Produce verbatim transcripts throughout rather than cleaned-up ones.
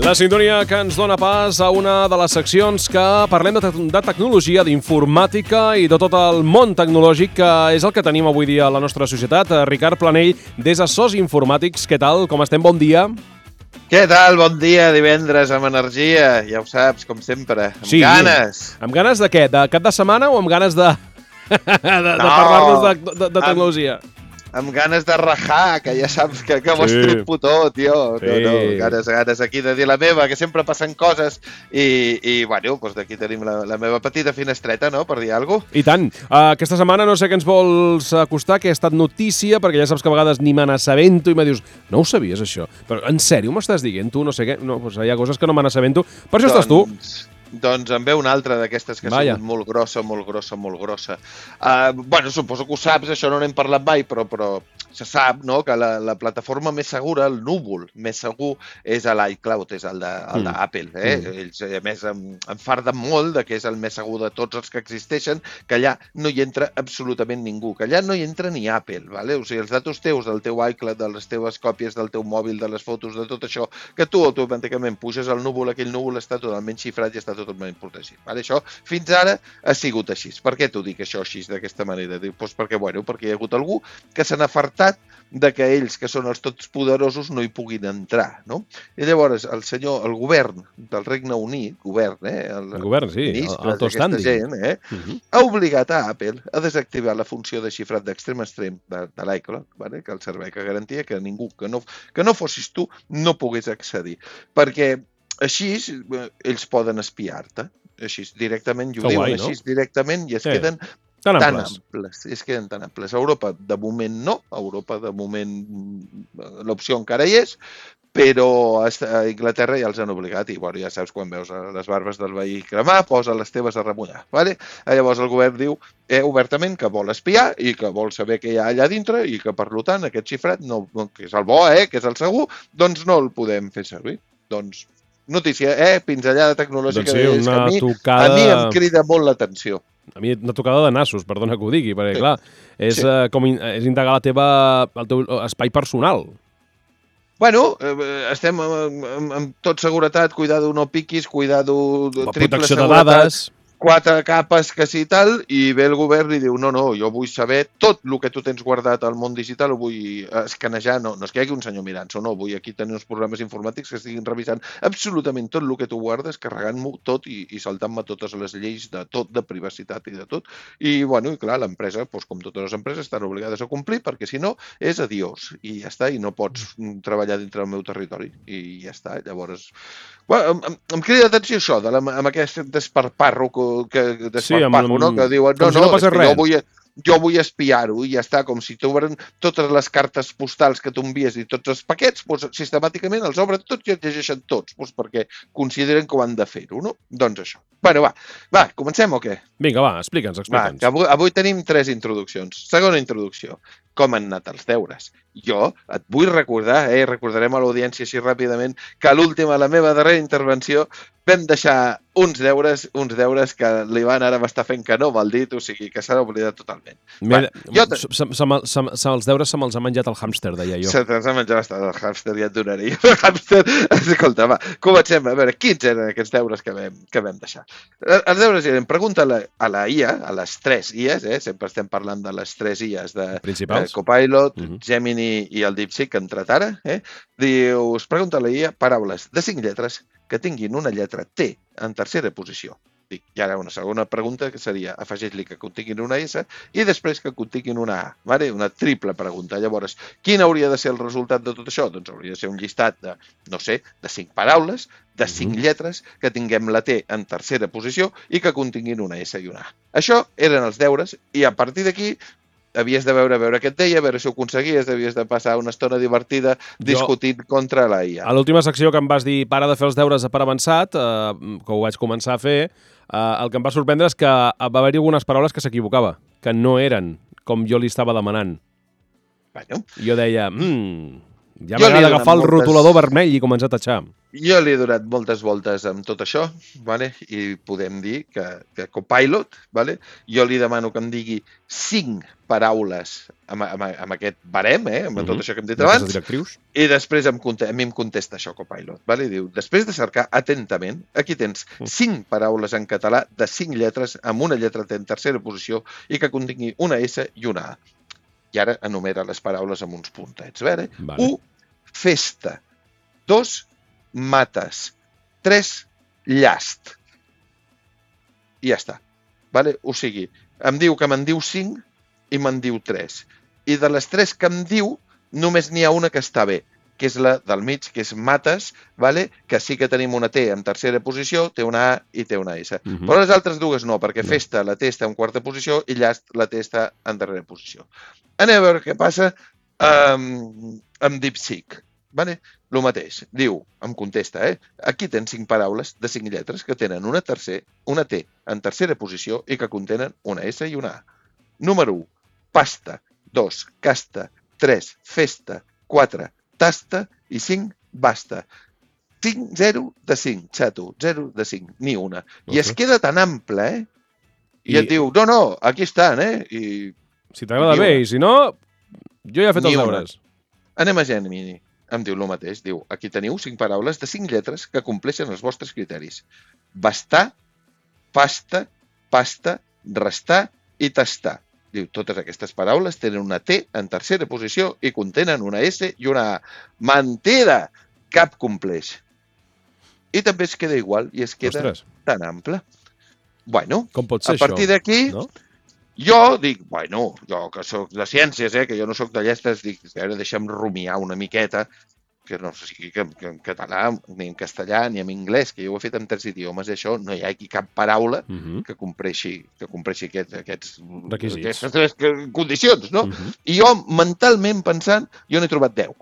La sintonia que ens dona pas a una de les seccions que parlem de, te de tecnologia, d'informàtica i de tot el món tecnològic, que és el que tenim avui dia a la nostra societat. Ricard Planell, des de Sos Informàtics, què tal? Com estem? Bon dia. Què tal? Bon dia, divendres amb energia, ja ho saps, com sempre, amb sí, ganes. Amb ganes de què? De cap de setmana o amb ganes de, de, de no, parlar-nos de, de, de tecnologia? Amb, amb ganes de rajar, que ja saps que, que ho sí. estripo tot, tio. Sí. No, no, ganes, ganes aquí de dir la meva, que sempre passen coses i, i bueno, doncs d'aquí tenim la, la meva petita finestreta, no?, per dir alguna cosa. I tant. Uh, aquesta setmana no sé què ens vols acostar, que ha estat notícia, perquè ja saps que a vegades ni me n'assabento i me dius, no ho sabies, això? Però en sèrio m'estàs dient tu? No sé què. No, doncs hi ha coses que no me n'assabento. Per això doncs... estàs tu. Doncs en ve una altra d'aquestes que ha sigut molt grossa, molt grossa, molt grossa. Uh, bueno, suposo que ho saps, això no n'hem parlat mai, però, però se sap, no?, que la, la plataforma més segura, el núvol més segur, és l'iCloud, és el d'Apple. Mm. Eh? Mm. Ells, a més, em, em farden molt de que és el més segur de tots els que existeixen, que allà no hi entra absolutament ningú, que allà no hi entra ni Apple. Vale? O sigui, els datos teus, del teu iCloud, de les teves còpies del teu mòbil, de les fotos, de tot això, que tu automàticament puges al núvol, aquell núvol està totalment xifrat i està totalment protegit. Vale? Això fins ara ha sigut així. Per què t'ho dic això així, d'aquesta manera? Pues perquè, bueno, perquè hi ha hagut algú que se n'ha fartat de que ells, que són els tots poderosos, no hi puguin entrar, no? I llavors el senyor, el govern del Regne Unit, govern, eh? El, el govern, sí, el Tostandi, gent, eh? Uh-huh. Ha obligat a Apple a desactivar la funció de xifrat d'extrem a extrem de, de l'iCloud, vale? Que el servei que garantia que ningú, que no, que no fossis tu, no pogués accedir. Perquè així ells poden espiar-te, així directament, i ho diuen així no? directament, i es sí. queden tan tan amples. amples. Es queden tan amples. A Europa, de moment, no. A Europa, de moment, l'opció encara hi és, però a Anglaterra ja els han obligat, i bueno, ja saps, quan veus les barbes del veí cremar, posa les teves a remullar. Vale? Llavors el govern diu eh, obertament que vol espiar i que vol saber què hi ha allà dintre i que, per tant, aquest xifrat, no, que és el bo, eh, que és el segur, doncs no el podem fer servir. Doncs notícia, eh? Pinzellada tecnològica, doncs sí, és que a mi, tocada... a mi em crida molt l'atenció. A mi una tocada de nassos, perdona que ho digui, perquè sí. clar, és, sí. uh, com in, és indagar la teva, el teu espai personal. Bueno, eh, estem amb, amb, amb tot seguretat, cuidado no piquis, cuidado triple protecció seguretat. De dades. Quatre capes que sí tal, i ve el govern i diu, no, no, jo vull saber tot el que tu tens guardat al món digital, ho vull escanejar, no, no és que hi hagi un senyor mirant-s'ho, no, vull aquí tenir uns programes informàtics que estiguin revisant absolutament tot el que tu guardes, carregant-m'ho tot i, i saltant-me totes les lleis de tot, de privacitat i de tot. I, bueno, i clar, l'empresa, doncs, com totes les empreses, estan obligades a complir, perquè si no, és adiós, i ja està, i no pots treballar dintre del meu territori, i ja està, llavors... Bueno, em, em crida l'atenció això, de la, amb aquest desparparro que desparparro, sí, no? Que diuen, no, si no, no és que res. jo vull, jo vull espiar-ho i ja està, com si t'obren totes les cartes postals que tu envies i tots els paquets, doncs, sistemàticament els obren tots i els llegeixen tots, doncs, perquè consideren que ho han de fer-ho, no? Doncs això. Bueno, va, va, comencem o què? Vinga, va, explica'ns, explica'ns. Va, que avui, avui tenim tres introduccions. Segona introducció, com han anat els deures. Jo et vull recordar, eh, recordarem a l'audiència així ràpidament, que a l'última, la meva darrera intervenció, vam deixar uns deures, uns deures que l'Ivan ara m'està fent que no, mal dit, o sigui, que s'ha oblidat totalment. Bueno, jo te... se, se, se, se, els deures se me'ls ha menjat el hàmster, deia jo. Se te'ls ha menjat el hàmster, ja et donaré. El hàmster, escolta, va, comencem. A veure, quins eren aquests deures que vam, que vam deixar? Els deures eren, pregunta a la, a la I A, a les tres I As, eh? Sempre estem parlant de les tres I As de, de Copilot, uh-huh. Gemini i el DeepSeek, que ha entrat ara. Eh? Dius, pregunta a la I A paraules de cinc lletres que tinguin una lletra T en tercera posició. Dic, i ara una segona pregunta que seria afegeix-li que continguin una S i després que continguin una A, vale? Una triple pregunta. Llavors, quin hauria de ser el resultat de tot això? Doncs hauria de ser un llistat de, no sé, de cinc paraules, de cinc mm-hmm. lletres, que tinguem la T en tercera posició i que continguin una S i una A. Això eren els deures i a partir d'aquí havies de veure, veure què et deia, a veure si ho aconseguies, havies de passar una estona divertida discutint jo, contra la I A. A l'última secció que em vas dir para de fer els deures per avançat, eh, que ho vaig començar a fer, eh, el que em va sorprendre és que va haver-hi algunes paraules que s'equivocava, que no eren com jo li estava demanant. Bueno. Jo deia, mmm, ja m'agrada agafar el moltes... rotulador vermell i començar a tatxar. Jo li he donat moltes voltes amb tot això, vale? I podem dir que, que Copilot, vale? Jo li demano que em digui cinc paraules amb, amb, amb aquest barem, eh? amb tot això que hem dit abans, i després em, a mi em contesta això Copilot. Vale? Diu, després de cercar atentament, aquí tens cinc paraules en català de cinc lletres amb una lletra en tercera posició i que contingui una S i una A. I ara enumera les paraules amb uns puntets. Vale? Vale. u. Festa. dos. Mates. tres. Llast. I ja està. Vale? O sigui, em diu que me'n diu cinc i me'n diu tres. I de les tres que em diu, només n'hi ha una que està bé, que és la del mig, que és mates, vale? Que sí que tenim una T en tercera posició, té una A i té una S. Uh-huh. Però les altres dues no, perquè no. Festa la T està en quarta posició i llast la T està en darrera posició. Anem a veure què passa amb, amb DeepSeek. Vale? El mateix. Diu, em contesta, eh? Aquí tens cinc paraules de cinc lletres que tenen una, tercer, una T en tercera posició i que contenen una S i una A. Número u, pasta. dos, casta. tres, festa. quatre, tasta. I cinc, basta. cinc, zero de cinc, xato. zero de cinc, ni una. I es queda tan ample, eh? I, I et diu, no, no, aquí estan, eh? I... Si t'agrada bé, i si no, jo ja he fet els deures. Anem a Gemini. Em diu el mateix. Diu, aquí teniu cinc paraules de cinc lletres que compleixen els vostres criteris. Bastar, pasta, pasta, restar i tastar. Diu, totes aquestes paraules tenen una T en tercera posició i contenen una S i una A. Mentida! Cap compleix. I també es queda igual i es queda Ostres. tan ample. Bueno, Com pot ser a partir d'aquí... No? Jo dic, bueno, jo que sóc de ciències, eh, que jo no sóc de llestes, dic, ara deixa'm rumiar una miqueta, que no sé si que, que en català, ni en castellà, ni en anglès, que jo ho he fet en tres idiomes, i això no hi ha aquí cap paraula uh-huh. que compleixi, que compleixi aquests, aquests, aquestes tres condicions, no? Uh-huh. I jo, mentalment pensant, jo n'he trobat deu.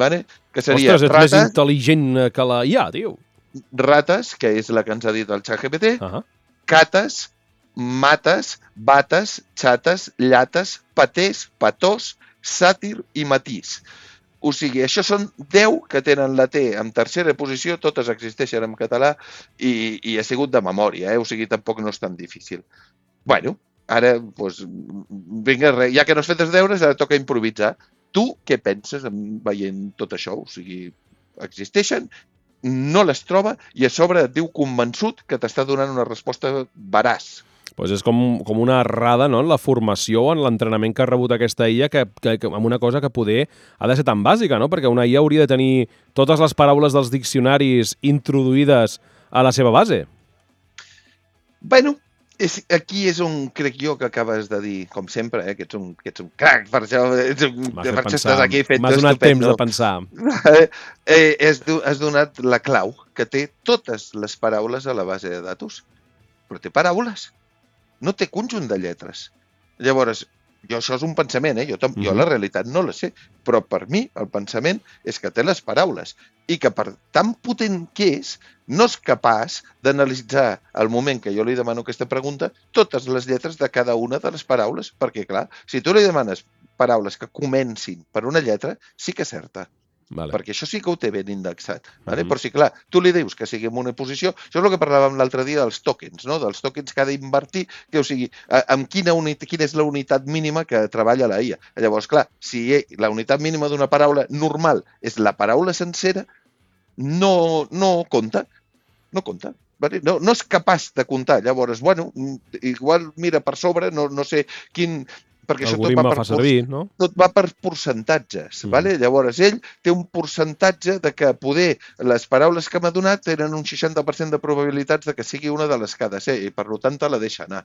Vale? Que seria Ostres, ets rata, més intel·ligent que la I A, tio. Rates, que és la que ens ha dit el ChatGPT, uh-huh. cates, mates, bates, xates, llates, patés, patós, sàtir i matís. O sigui, això són deu que tenen la T en tercera posició, totes existeixen en català i, i ha sigut de memòria, eh? O sigui, tampoc no és tan difícil. Bueno, ara, doncs, vinga, ja que no has fet els deures, ara toca improvisar. Tu què penses veient tot això? O sigui, existeixen, no les troba i a sobre et diu convençut que t'està donant una resposta veraç. Pues és com, com una errada, no?, en la formació o en l'entrenament que ha rebut aquesta I A, que, que, que, amb una cosa que poder ha de ser tan bàsica, no? Perquè una I A hauria de tenir totes les paraules dels diccionaris introduïdes a la seva base. Bueno, és, aquí és on crec jo que acabes de dir, com sempre, eh, que ets un, que ets un crac, per això, ets un, per això estàs aquí fent M'has donat temps de pensar. eh, has, has donat la clau, que té totes les paraules a la base de datos, però té paraules. No té conjunt de lletres. Llavors, jo això és un pensament, eh? Jo, jo mm-hmm. la realitat no la sé, però per mi el pensament és que té les paraules i que per tan potent que és, no és capaç d'analitzar al moment que jo li demano aquesta pregunta totes les lletres de cada una de les paraules, perquè clar, si tu li demanes paraules que comencin per una lletra, sí que acerta. Vale. Perquè això sí que ho té ben indexat. Vale? Mm-hmm. Però si, clar, tu li dius que sigui en una posició... Això és el que parlàvem l'altre dia dels tokens, no? Dels tokens que ha d'invertir, que, o sigui, amb quina, unitat, quina és la unitat mínima que treballa la I A. Llavors, clar, si la unitat mínima d'una paraula normal és la paraula sencera, no, no compta. No compta. Vale? No, no és capaç de comptar. Llavors, bueno, igual mira per sobre, no, no sé quin... perquè això tot va, per, servir, no? tot va per percentatges. Mm. Vale? Llavors, ell té un percentatge de que poder les paraules que m'ha donat tenen un seixanta per cent de probabilitats de que sigui una de les que ha de ser i, per tant, te la deixa anar.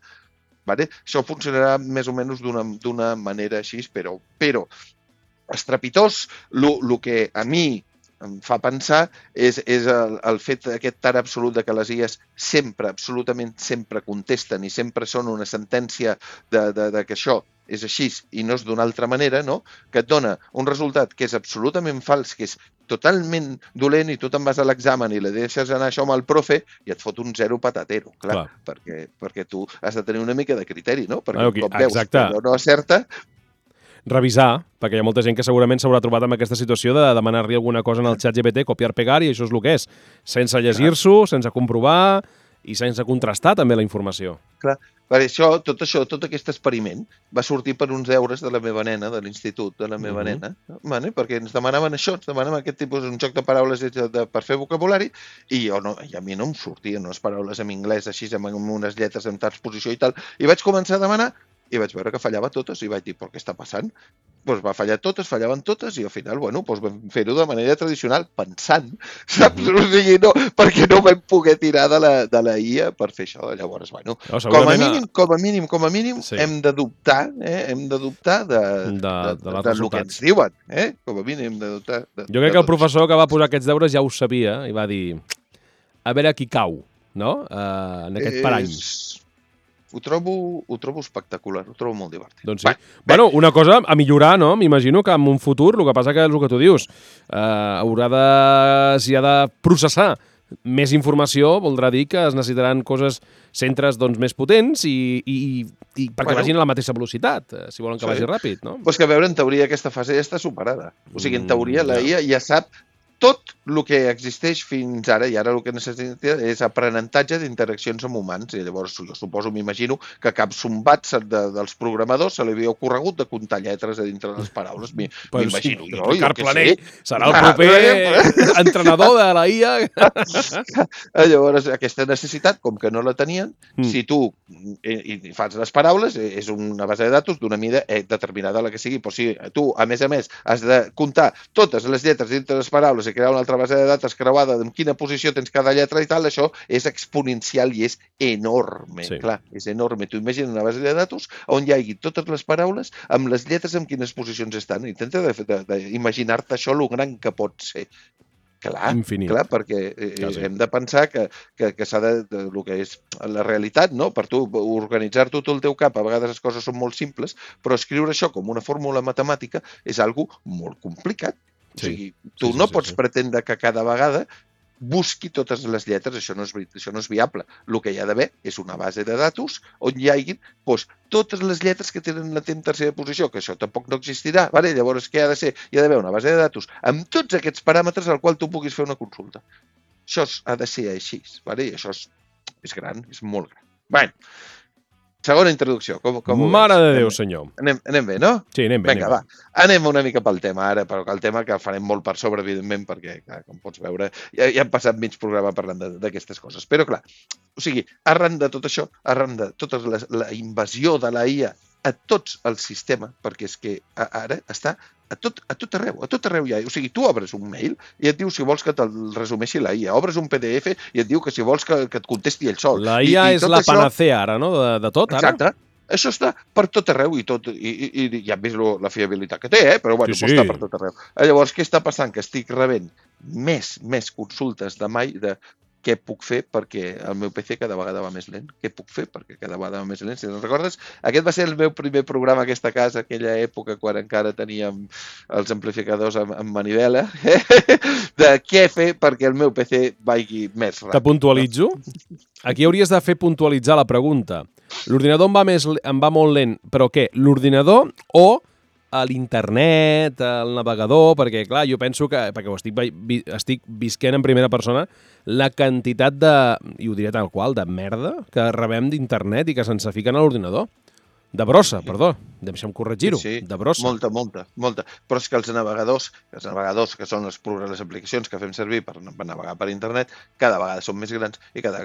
Vale? Això funcionarà més o menys d'una manera així, però, però estrepitós, el que a mi em fa pensar és, és el, el fet aquest tan absolut de que les I As sempre, absolutament sempre contesten i sempre són una sentència de, de, de que això és així i no és d'una altra manera, no? Que et dona un resultat que és absolutament fals, que és totalment dolent i tu te'n vas a l'examen i li deixes anar això amb el profe i et fot un zero patatero, clar, clar. Perquè, perquè tu has de tenir una mica de criteri, no? Perquè okay, un cop veus exacte. que no, no acerta... revisar, perquè hi ha molta gent que segurament s'haurà trobat amb aquesta situació de demanar-li alguna cosa en el xat G P T, copiar-pegar, i això és el que és. Sense llegir-s'ho, sense comprovar i sense contrastar també la informació. Clar, per això, tot això, tot aquest experiment va sortir per uns deures de la meva nena, de l'institut de la meva uh -huh. nena, vale? Perquè ens demanaven això, ens demanaven aquest tipus, un joc de paraules de, de, per fer vocabulari, i, jo no, i a mi no em sortien unes paraules en anglès així, amb, amb unes lletres en transposició i tal, i vaig començar a demanar, i vaig veure que fallava totes, i vaig dir, però què està passant? Doncs va fallar totes, fallaven totes, i al final, bueno, doncs vam fer-ho de manera tradicional, pensant, saps? O sigui, no, perquè no vam poder tirar de la, de la I A per fer això. Llavors, bueno, no, com a mínim, com a mínim, com a mínim, sí. hem de dubtar, eh? hem de dubtar de, de, de, de, de, de lo que ens diuen, eh? Com a mínim hem de dubtar. De, jo crec que el professor que va posar aquests deures ja ho sabia, i va dir, a veure qui cau, no?, uh, en aquest parany. És... Ho trobo, ho trobo espectacular, ho trobo molt divertit. Doncs sí. Bé, bueno, una cosa a millorar, no? M'imagino que en un futur, el que passa que és el que tu dius, eh, haurà de, si ha de processar més informació, voldrà dir que es necessitaran coses, centres doncs, més potents i, i, i perquè bueno, vagin a la mateixa velocitat, si volen que sí. vagi ràpid, no? Pues que a veure, en teoria aquesta fase ja està superada. O sigui, en teoria la I A ja sap tot el que existeix fins ara, i ara el que necessita és aprenentatge d'interaccions amb humans. I llavors, jo suposo, m'imagino, que cap zumbat de, dels programadors se li havia ocorregut de comptar lletres a dintre de les paraules. M'imagino. Sí, Ricard Planell serà el proper entrenador de la I A. Llavors, aquesta necessitat, com que no la tenien, mm. si tu i, i fas les paraules, és una base de datos d'una mida determinada la que sigui. Però si tu, a més a més, has de comptar totes les lletres dintre de les paraules i crear una altra base de dades creuada en quina posició tens cada lletra i tal, això és exponencial i és enorme. Sí. Clar, és enorme. Tu imagina una base de dades on hi hagi totes les paraules amb les lletres en quines posicions estan. Intenta d'imaginar-te això lo gran que pot ser. Clar, Infinit. clar, perquè eh, ja, sí. hem de pensar que, que, que s'ha de, de, el que és la realitat, no? Per tu organitzar-t'ho tot el teu cap, a vegades les coses són molt simples, però escriure això com una fórmula matemàtica és algo molt complicat. Sí. O sigui, tu sí, sí, no sí, pots sí. pretendre que cada vegada busqui totes les lletres, això no és, això no és viable. El que hi ha d'haver és una base de datos on hi hagi doncs, totes les lletres que tenen la tercera posició, que això tampoc no existirà. Vale? Llavors, què ha de ser? Hi ha d'haver una base de datos amb tots aquests paràmetres al qual tu puguis fer una consulta. Això ha de ser així. Vale? I això és, és gran, és molt gran. Bé, segona introducció. Com, com Mare de Déu, senyor. Anem, anem bé, no? Sí, anem bé. Vinga, anem va. Anem una mica pel tema ara, però el tema que farem molt per sobre, evidentment, perquè, clar, com pots veure, ja, ja hem passat mig programa parlant d'aquestes coses. Però, clar, o sigui, arran de tot això, arran de tota la, la invasió de la I A a tots el sistema, perquè és que ara està a tot, a tot arreu, a tot arreu hi ha. O sigui, tu obres un mail i et diu si vols que te'l resumeixi la I A. Obres un P D F i et diu que si vols que, que et contesti ell sol. La I A I, i és la això... panacea ara, no?, de, de tot, ara. Exacte. Això està per tot arreu i tot, i, i, i ja hem vist lo, la fiabilitat que té, eh? Però bueno, sí, sí. Està per tot arreu. Llavors, què està passant? Que estic rebent més, més consultes de mai de què puc fer perquè el meu P C cada vegada va més lent. Què puc fer perquè cada vegada va més lent? Si no recordes, aquest va ser el meu primer programa a aquesta casa, aquella època quan encara teníem els amplificadors amb, amb manivela, eh? De què fer perquè el meu P C vagi més ràpid. Te puntualitzo? Aquí hauries de fer puntualitzar la pregunta. L'ordinador em va, més, em va molt lent, però què? L'ordinador o a l'internet, al navegador, perquè, clar, jo penso que, perquè ho estic, estic visquent en primera persona, la quantitat de, i ho diré tal qual, de merda que rebem d'internet i que se'ns fiquen a l'ordinador. De brossa, perdó, deixa'm corregir-ho, sí, sí, de brossa. Molta, molta, molta. Però és que els navegadors, els navegadors que són les, les aplicacions que fem servir per, per navegar per internet, cada vegada són més grans i cada,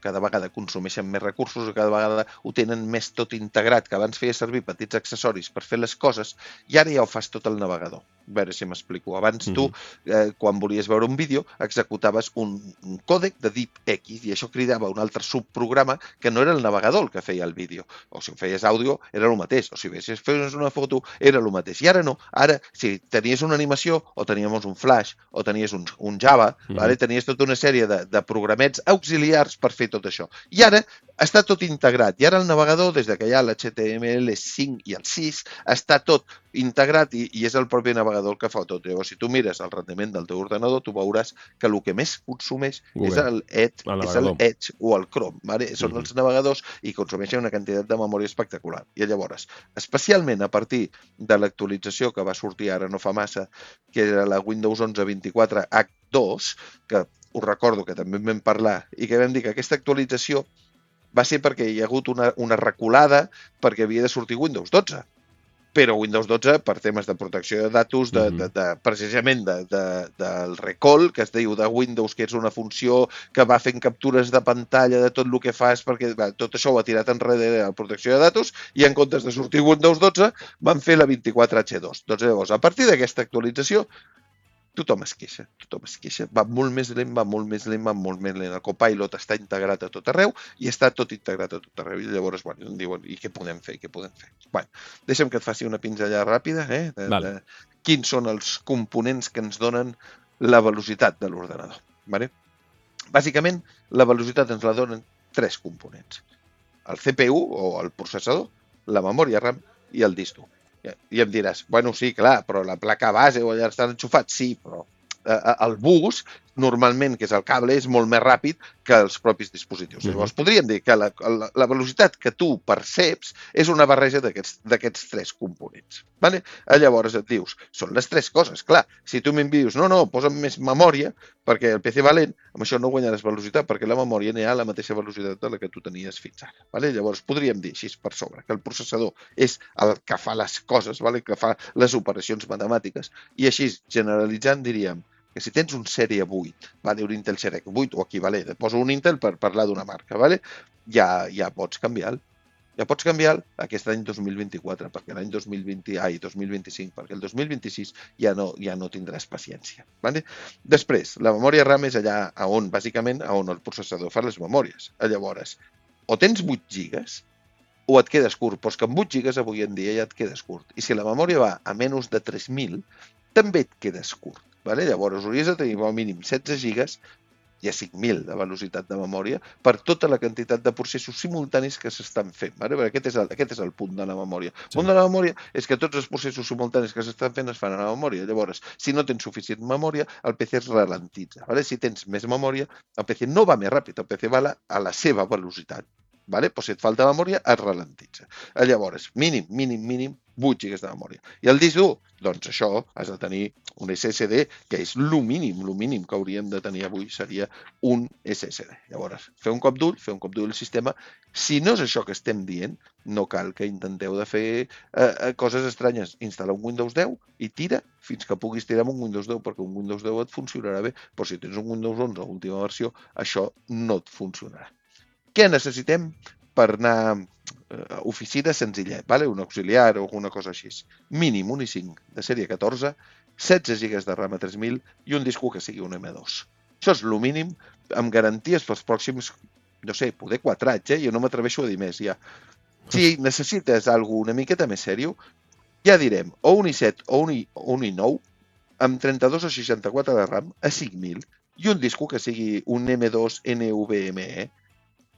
cada vegada consumeixen més recursos i cada vegada ho tenen més tot integrat, que abans feia servir petits accessoris per fer les coses i ara ja ho fas tot el navegador. A veure si m'explico. Abans tu, eh, quan volies veure un vídeo, executaves un, un còdec de DivX i això cridava un altre subprograma que no era el navegador el que feia el vídeo. O si ho feies àudio, era el mateix. O si feies una foto, era el mateix. I ara no. Ara, si tenies una animació, o teníem un flash, o tenies un, un Java, mm. vale? Tenies tota una sèrie de, de programets auxiliars per fer tot això. I ara està tot integrat. I ara el navegador, des que hi ha l'H T M L cinc i el sis, està tot integrat i, i és el propi navegador el que fa tot. Llavors, si tu mires el rendiment del teu ordenador, tu veuràs que el que més consumeix Google. és el Edge, El és el navegador. Edge o el Chrome. Vale? Són Mhm. els navegadors i consumeixen una quantitat de memòria espectacular. I llavors, especialment a partir de l'actualització que va sortir ara no fa massa, que era la Windows onze vint-i-quatre H dos, que us recordo que també en vam parlar, i que vam dir que aquesta actualització va ser perquè hi ha hagut una, una reculada perquè havia de sortir Windows dotze. Però Windows dotze, per temes de protecció de datos, de, de, de, precisament de, de, del recall, que es diu de Windows, que és una funció que va fent captures de pantalla de tot el que fas, perquè va, tot això ho ha tirat enrere a la protecció de datos, i en comptes de sortir Windows dotze, van fer la vint-i-quatre H dos. Doncs llavors, a partir d'aquesta actualització, tothom es queixa, tothom es queixa. Va molt més lent, va molt més lent, va molt més lent. El Copilot està integrat a tot arreu i està tot integrat a tot arreu. I llavors, bueno, em diuen, i què podem fer, què podem fer? Bueno, deixa'm que et faci una pinzellada ràpida, eh? De, Vale. de quins són els components que ens donen la velocitat de l'ordenador. Vale? Bàsicament, la velocitat ens la donen tres components. El C P U, o el processador, la memòria RAM i el disc dur. I em diràs, bueno, sí, clar, però la placa base o allà estan enxufats, sí, però eh, el bus, normalment, que és el cable, és molt més ràpid que els propis dispositius. Mhm. Llavors, podríem dir que la, la, la velocitat que tu perceps és una barreja d'aquests d'aquests tres components. Vale? Llavors et dius, són les tres coses, clar. Si tu m'envies, no, no, posa'm més memòria, perquè el P C va lent, amb això no guanyaràs velocitat, perquè la memòria anirà a la mateixa velocitat de la que tu tenies fins ara. Vale? Llavors, podríem dir així per sobre, que el processador és el que fa les coses, vale? Que fa les operacions matemàtiques, i així, generalitzant, diríem que si tens un sèrie vuit, vale? Un Intel Core vuit o equivalent, et poso un Intel per parlar d'una marca, vale? ja, ja pots canviar-lo. Ja pots canviar aquest any dos mil vint-i-quatre, perquè l'any dos mil vint, ai, dos mil vint-i-cinc, perquè el dos mil vint-i-sis ja no, ja no tindràs paciència. Vale? Després, la memòria RAM és allà a on, bàsicament, a on el processador fa les memòries. Llavors, o tens vuit gigas o et quedes curt, però és que amb vuit gigas avui en dia ja et quedes curt. I si la memòria va a menys de tres mil, també et quedes curt. Vale? Llavors, hauries de tenir al mínim setze gigas i a cinc mil de velocitat de memòria per tota la quantitat de processos simultanis que s'estan fent. Vale? Aquest, és el, aquest és el punt de la memòria. El Sí. punt de la memòria és que tots els processos simultanis que s'estan fent es fan a la memòria. Llavors, si no tens suficient memòria, el P C es ralentitza. Vale? Si tens més memòria, el P C no va més ràpid, el P C va a la, a la seva velocitat. Vale? Però si et falta memòria, es ralentitza. Llavors, mínim, mínim, mínim, vuit gigas de memòria. I el disc dur? Doncs això, has de tenir un S S D, que és el mínim, el mínim que hauríem de tenir avui seria un S S D. Llavors, fer un cop d'ull, fer un cop d'ull al sistema. Si no és això que estem dient, no cal que intenteu de fer eh, coses estranyes. Instal·la un Windows deu i tira fins que puguis tirar amb un Windows deu, perquè un Windows deu et funcionarà bé, però si tens un Windows onze, última versió, això no et funcionarà. Què necessitem per anar a oficina senzillet, vale? Un auxiliar o alguna cosa així? Mínim un i cinc de sèrie catorze, setze gigas de RAM a tres mil i un disc que sigui un M dos. Això és el mínim, amb garanties pels pròxims, no sé, poder quatre anys, eh? Jo no m'atreveixo a dir més, ja. Si necessites alguna una miqueta més sèrio, ja direm, o un i set o un i, un i nou, amb trenta-dos o seixanta-quatre de RAM a cinc mil i un disc que sigui un M dos NVMe,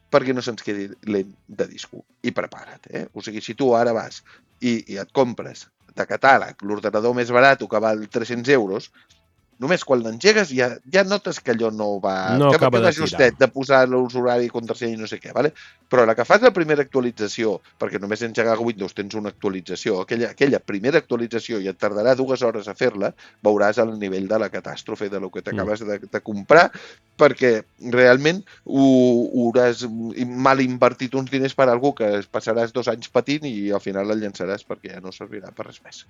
perquè no se'ns quedi lent de disco. I prepara't, eh? O sigui, si tu ara vas i, i et compres de catàleg l'ordenador més barat que val tres-cents euros, només quan l'engegues ja, ja notes que allò no va... No que, acaba que va de tirar. justet de posar l'usuari, contrasenya i no sé què, vale? Però la que fas la primera actualització, perquè només engegar Windows tens una actualització, aquella, aquella primera actualització i et tardarà dues hores a fer-la, veuràs el nivell de la catàstrofe de lo que t'acabes de, de comprar, perquè realment ho, ho hauràs mal invertit uns diners per a algú que passaràs dos anys patint i al final el llançaràs perquè ja no servirà per res més.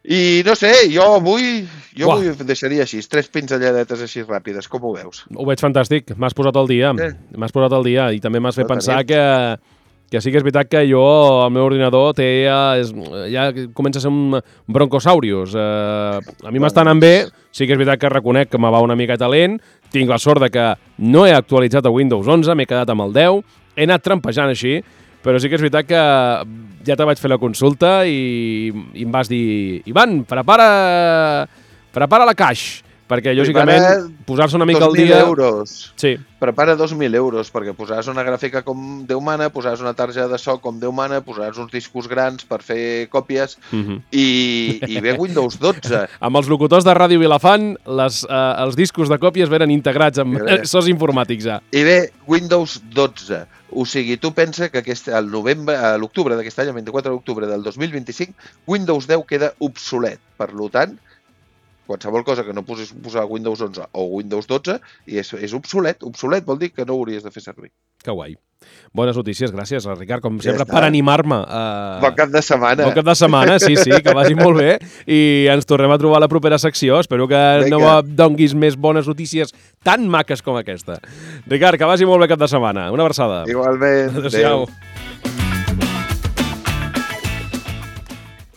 I no sé, jo avui jo Uah. avui deixaria així, tres pinzelladetes així ràpides, com ho veus? Ho veig fantàstic, m'has posat al dia, Eh. m'has posat al dia i també m'has fet No pensar tenim. que, que sí que és veritat que jo, el meu ordinador, té ja, és, ja comença a ser un broncosaurius. Uh, a mi m'està anant bé, sí que és veritat que reconec que me va una miqueta lent, tinc la sort de que no he actualitzat a Windows onze, m'he quedat amb el deu, he anat trampejant així, però sí que és veritat que ja te vaig fer la consulta i, i em vas dir Ivan, prepara, prepara la caix, perquè, lògicament, posar-se una mica al dia... dos mil euros. Sí. Prepara dos mil euros, perquè posaràs una gràfica com Déu mana, posaràs una targeta de so com Déu mana, posaràs uns discos grans per fer còpies uh -huh. i, i ve Windows dotze. Amb els locutors de Ràdio Vilafant, les, eh, els discos de còpies venen integrats amb sos informàtics ja. I ve Windows dotze. O sigui, tu pensa que aquest, al novembre, a l'octubre d'aquest any, el vint-i-quatre d'octubre del dos mil vint-i-cinc, Windows deu queda obsolet. Per tant, qualsevol cosa que no posis posar Windows onze o Windows dotze i és, és obsolet. Obsolet vol dir que no ho hauries de fer servir. Que guai. Bones notícies, gràcies, Ricard, com sempre, ja per animar-me. Uh... Bon cap de setmana. Bon cap de setmana, sí, sí, que vagi molt bé. I ens tornem a trobar a la propera secció. Espero que Vinga. no donguis més bones notícies tan maques com aquesta. Ricard, que vagi molt bé cap de setmana. Una abraçada. Igualment. Adéu-siau. Adéu.